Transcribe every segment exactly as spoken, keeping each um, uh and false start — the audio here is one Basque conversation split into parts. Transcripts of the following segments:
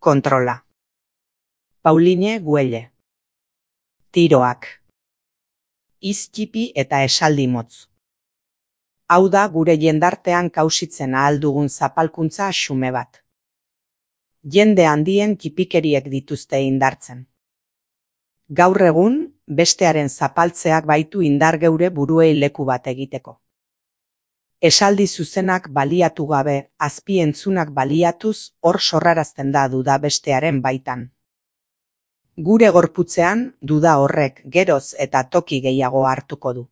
Kontrola. Pauline Güelle. Tiroak. Iztipi eta esaldi motz. Hau da gure jendartean kausitzen ahal dugun zapalkuntza xume bat. Jende handien kipikeriek dituzte indartzen. Gaur egun, bestearen zapaltzeak baitu indar geure buruei leku bat egiteko. Esaldi zuzenak baliatu gabe, azpientzunak baliatuz, hor sorrarazten da duda bestearen baitan. Gure gorputzean, duda horrek geroz eta toki gehiago hartuko du.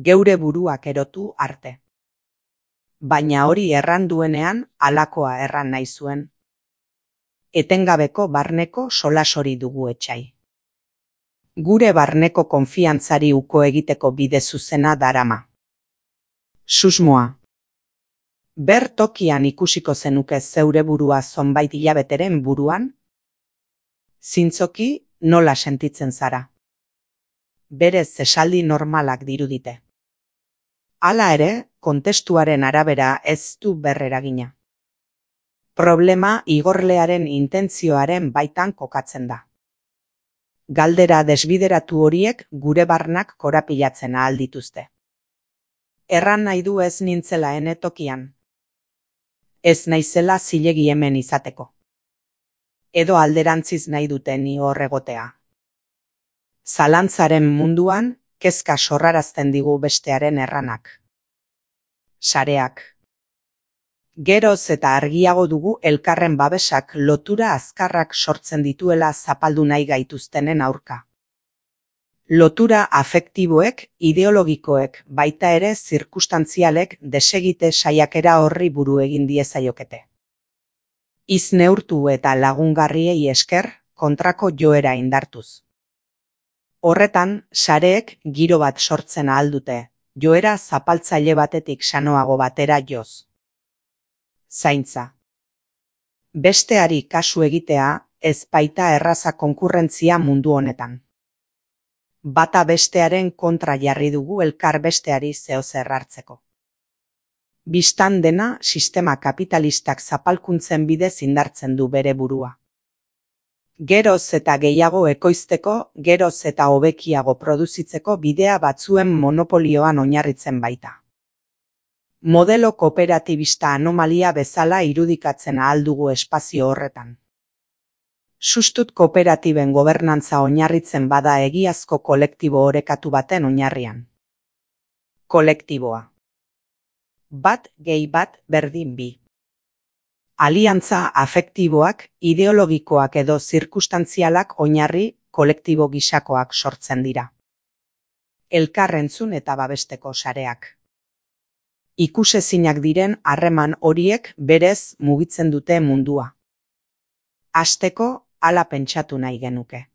Geure buruak erotu arte. Baina hori erran duenean, halakoa erran nahi zuen. Etengabeko barneko solasori dugu etxai. Gure barneko konfiantzari uko egiteko bide zuzena darama. Susmoa. Ber tokian ikusiko zenuke zeure burua zonbait hilabeteren buruan? Zintzoki nola sentitzen zara? Berez esaldi normalak dirudite. Hala ere, kontestuaren arabera ez du berreragina. Problema igorlearen intentzioaren baitan kokatzen da. Galdera desbideratu horiek gure barnak korapilatzen ahal dituzte. Erran nahi du ez nintzela ene tokian. Ez naizela zilegi hemen izateko. Edo alderantziz nahi dute ni hor egotea. Zalantzaren munduan, kezka sorrarazten digu bestearen erranak. Sareak. Geroz eta argiago dugu elkarren babesak lotura azkarrak sortzen dituela zapaldu nahi gaituztenen aurka. Lotura afektiboek, ideologikoek, baita ere zirkustantzialek desegite saiakera horri buru egin diezaiokete. Iz neurtu eta lagungarriei esker, kontrako joera indartuz. Horretan, sareek giro bat sortzen ahal dute, joera zapaltzaile batetik sanoago batera joz. Zaintza. Besteari kasu egitea, ez baita erraza konkurrentzia mundu honetan. Bata bestearen kontra jarri dugu elkar besteari zeozer hartzeko. Bistan dena sistema kapitalistak zapalkuntzen bidez indartzen du bere burua. Geroz eta gehiago ekoizteko, geroz eta hobekiago produzitzeko bidea batzuen monopolioan oinarritzen baita. Modelo kooperatibista anomalia bezala irudikatzen ahal dugu espazio horretan. Sustut kooperatiben gobernantza oinarritzen bada egiazko kolektibo orekatu baten oinarrian. Kolektiboa. Bat gehi bat berdin bi. Aliantza afektiboak, ideologikoak edo zirkustantzialak oinarri kolektibo gisakoak sortzen dira. Elkarrentzun eta babesteko sareak. Ikusezinak diren harreman horiek berez mugitzen dute mundua. Hasteko, hala pentsatu nahi genuke.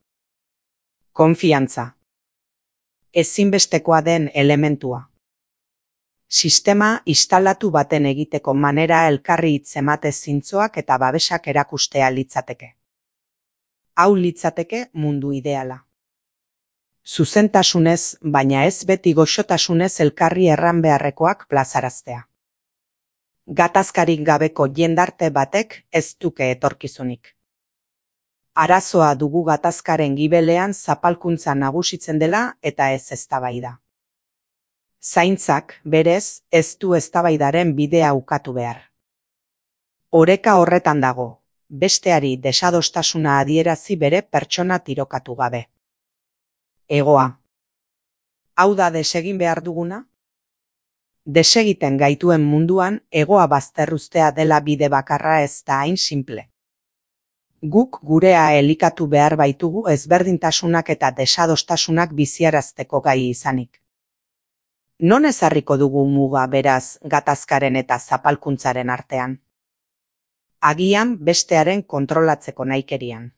Konfiantza. Ezinbestekoa den elementua. Sistema instalatu baten egiteko manera elkarri hitzemate zintzoak eta babesak erakustea litzateke. Hau litzateke mundu ideala. Zuzentasunez, baina ez beti goxotasunez elkarri erran beharrekoak plazaraztea. Gatazkarik gabeko jendarte batek ez duke etorkizunik. Arazoa dugu gatazkaren gibelean zapalkuntza nagusitzen dela eta ez eztabaida. Zaintzak, berez, ez du eztabaidaren bidea ukatu behar. Oreka horretan dago, besteari desadostasuna adierazi bere pertsona tirokatu gabe. Egoa. Hau da desegin behar duguna? Desegiten gaituen munduan, egoa bazterruztea dela bide bakarra ez da hain simple. Guk gurea elikatu behar baitugu ezberdintasunak eta desadostasunak biziarazteko gai izanik. Non ezarriko dugu muga beraz gatazkaren eta zapalkuntzaren artean? Agian bestearen kontrolatzeko nahikerian.